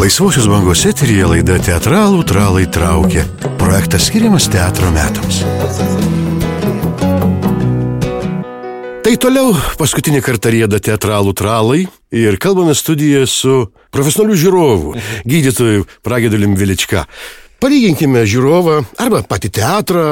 Laisvosios bangos eteryje laida Teatralų tralai traukia. Projektas skiriamas teatro metams. Tai toliau paskutinį kartą rieda Teatralų tralai ir kalbame studijoje su profesionaliu žiūrovu, gydytoju Pragiedalium Velička. Palyginkime žiūrovą arba patį teatrą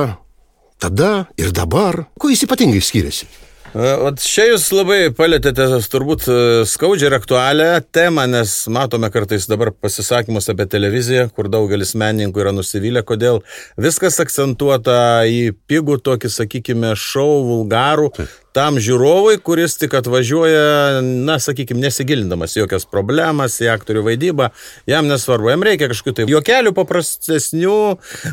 tada ir dabar. Kuo jis ypatingai skiriasi? Čia jūs labai palėtėte turbūt skaudžią ir aktualią temą, nes matome kartais dabar pasisakymus apie televiziją, kur daugelis menininkų yra nusivylę, kodėl viskas akcentuota į pigų tokį, sakykime, šou, vulgarų, tam žiūrovui, kuris tik atvažiuoja, sakykime, nesigilindamas jokias problemas į aktorių vaidybą, jam nesvarbu, jam reikia kažkokių tai juokelių paprastesnių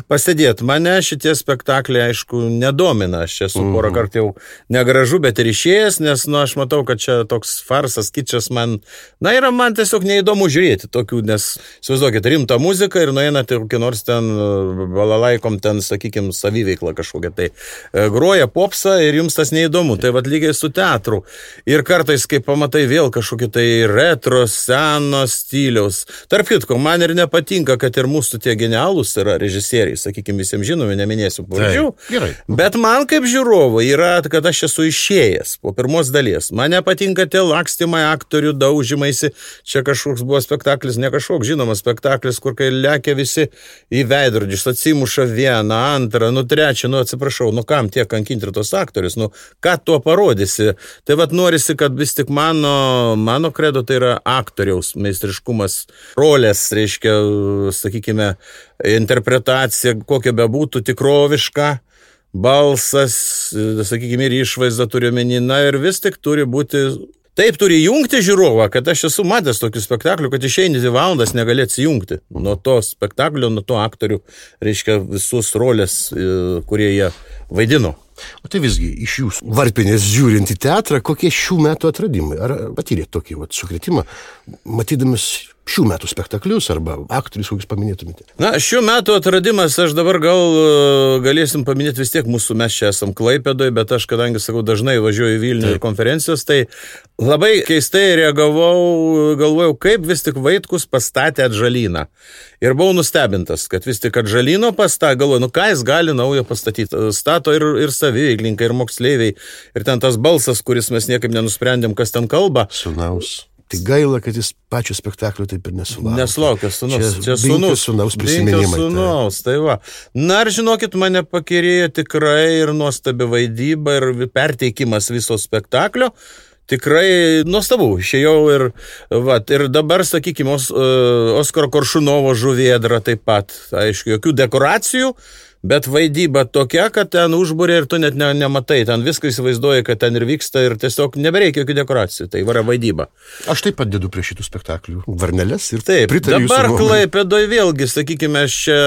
pasėdėti. Mane šitie spektakliai, aišku, nedomina, aš esu porą kartų jau negražu, bet ir išėjęs, nes, aš matau, kad čia toks farsas, kičas man, yra man tiesiog neįdomu žiūrėti tokių, nes, įsivaizduokit, rimtą muziką ir nueinate kokį nors ten balalaikom, ten, sakykime, saviveiklą kažkokią, tai groja popsą ir jums tas neįdomu. Tai vat lygiai su teatru. Ir kartais, kai pamatai vėl kažkokį tai retro, seno stiliaus. Tarp kitko, man ir nepatinka, kad ir mūsų tie genialūs yra režisieriai, sakykime, visiems žinomi, neminėsiu pavardžių. Bet man kaip žiūrovui yra, kad aš esu išėjęs po pirmos dalies. Man nepatinka tie lakstymai, aktorių daužimaisi. Čia kažkoks buvo spektaklis, ne kažkoks žinomas spektaklis, kur kai lekia visi į veidrodžius, atsimuša vieną, antrą, trečią, atsiprašau, kam tiek kankinti tos aktorius, ką tuo parodysi. Tai vat norisi, kad vis tik mano kredo tai yra aktoriaus meistriškumas, rolės, reiškia, sakykime, interpretacija, kokia bebūtų tikroviška, balsas, sakykime, ir išvaizda turi omenyje, ir vis tik turi būti. Taip turi jungti žiūrovą, kad aš esu matęs tokių spektaklių, kad išeini 2 valandas negali atsijungti nuo to spektaklio, nuo to aktorių, reiškia, visus rolės, kurie jie vaidino. O tai visgi, iš jūsų varpinės žiūrint į teatrą, kokie šių metų atradimai? Ar patyrėt tokį sukretimą, matydamas šių metų spektaklius arba aktorius, kokius paminėtumėte? Šių metų atradimas, aš dabar galėsim paminėti vis tiek mūsų, mes čia esam Klaipėdoje, bet aš, kadangi, sakau, dažnai važiuoju į Vilnių ir konferencijos, tai labai keistai galvojau, kaip vis tik Vaitkus pastatė Atžalyną. Ir buvau nustebintas, kad vis tik Atžalyno galvoju, ką jis gali naujo pastatyti. Stato ir saviveiklininkai, ir moksleiviai, ir ten tas balsas, kuris mes niekaip nenusprendėm, kas ten kalba. Sūnaus. Tai gaila, kad jis pačio spektaklio taip ir nesulaukė. Nesulaukė sūnaus. Čia sūnaus prisiminimai. Sūnaus, tai va. Ir žinokit, mane pakirėjo tikrai ir nuostabi vaidyba, ir perteikimas viso spektaklio. Tikrai nuostabu. Išėjau ir dabar, sakykime, Oskaro Koršunovo Žuvėdra taip pat. Aišku, jokių dekoracijų. Bet vaidyba tokia, kad ten užburė ir tu net nematai. Ten viską įsivaizduoji, kad ten ir vyksta ir tiesiog nebereikia jokių dekoracijų. Tai yra vaidyba. Aš taip pat dedu prie šitų spektaklių varneles ir taip, pritariu jūsų dabar nuomonei. Klaipėdoje vėlgi, sakykime, aš čia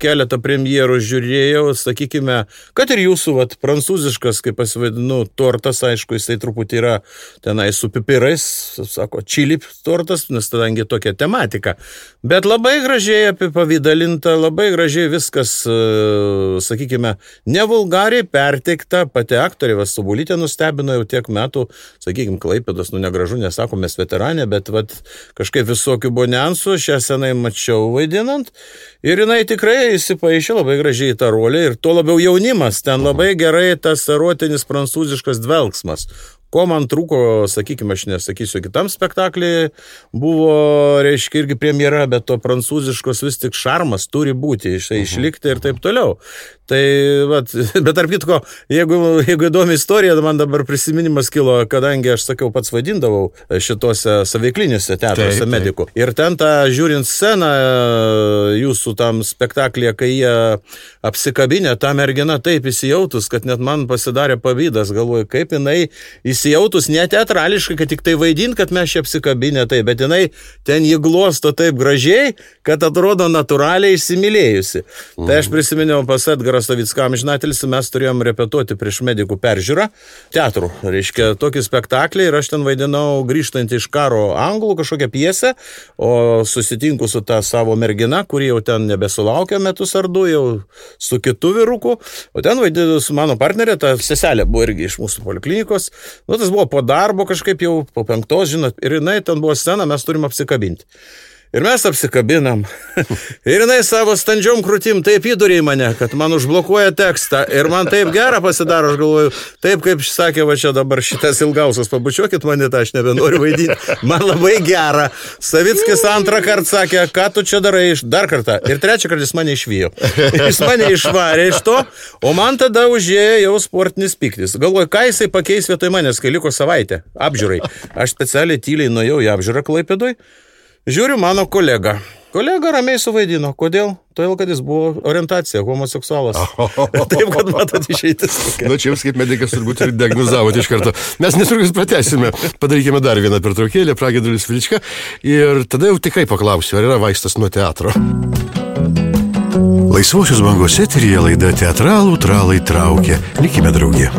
keletą premjerų žiūrėjau, sakykime, kad ir jūsų, prancūziškas, kaip pasivadinu, tortas, aišku, jisai truputį yra tenai su pipirais, sako, čili tortas, nes tadangi tokia tematika. Bet labai gražiai apipavydalinta, labai gražiai viskas, sakykime, nevulgariai perteikta, pati aktorė Vastubulytė nustebino jau tiek metų, sakykime, Klaipėdos, negražu, nesakom, mes veteranė, bet kažkaip visokių buvo niuansų, šią senai mačiau vaidinant, ir jinai tikrai įsipaišė labai gražiai į tą rolę, ir tuo labiau jaunimas, ten labai gerai tas erotinis prancūziškas dvelksmas. Ko man trūko, sakykime, aš nesakysiu, kitam spektaklį buvo, reiškia, irgi premjera, bet to prancūziškos vis tik šarmas turi būti, išlikti ir taip toliau. Tai, bet tarp kitko, jeigu įdomi istorija, man dabar prisiminimas kilo, kadangi aš sakiau, pats vaidindavau šitose saveikliniuose teatruose medikų. Ir ten tą žiūrint sceną jūsų tam spektaklyje, kai jie apsikabinė, ta mergina taip įsijautus, kad net man pasidarė pavydas, galvoju, kaip jinai įsijautus ne teatrališkai, kad tik tai vaidint, kad mes čia apsikabinę, tai, bet jinai ten jį glosto taip gražiai, kad atrodo natūraliai įsimylėjusi. Tai aš prisiminiau pas Edgarą Savicką amžinatelis, mes turėjom repetuoti prieš medikų peržiūrą teatrų, reiškia, tokį spektaklį, ir aš ten vaidinau grįžtant iš karo anglų kažkokią pjesę, o susitinku su ta savo mergina, kuri jau ten nebesulaukė metus ar 2, jau su kitu vyruku, o ten vaidinu su mano partnerė, ta seselė buvo irgi iš mūsų poliklinikos, tas buvo po darbo kažkaip jau po 5, žinot, ir jinai ten buvo scena, mes turim apsikabinti. Ir mes apsikabinam. Ir jinai savo standžiom krūtim taip įdurė į mane, kad man užblokuoja tekstą. Ir man taip gera pasidaro, aš galvoju, taip kaip sakė, va čia dabar šitas ilgausias, pabučiuokit mane, tą aš nebenoriu vaidinti. Man labai gera. Savickis antrą kartą sakė, ką tu čia darai, dar kartą. Ir trečią kartą jis mane išvijo. Jis mane išvarė iš to, o man tada užėjo jau sportinis piktis. Galvoju, ką jisai pakeis vietoj manęs, kai liko savaitę apžiūrai. Aš specialiai tyliai nuėjau į apžiūrą Klaipėdoj. Žiūriu mano kolega. Kolega ramiai suvaidino. Kodėl? Todėl, kad jis buvo orientacija, homoseksualas. Taip, kad matot išeitis. Na, čia jums kaip medikas turbūt ir diagnozavote iš karto. Mes netrukus pratęsime. Padarykime dar vieną pertraukėlę, Pragiedrulis Velička. Ir tada jau tikrai paklausiu, ar yra vaistas nuo teatro. Laisvosios bangos eteryje laida Teatralų tralai traukia. Likime drauge.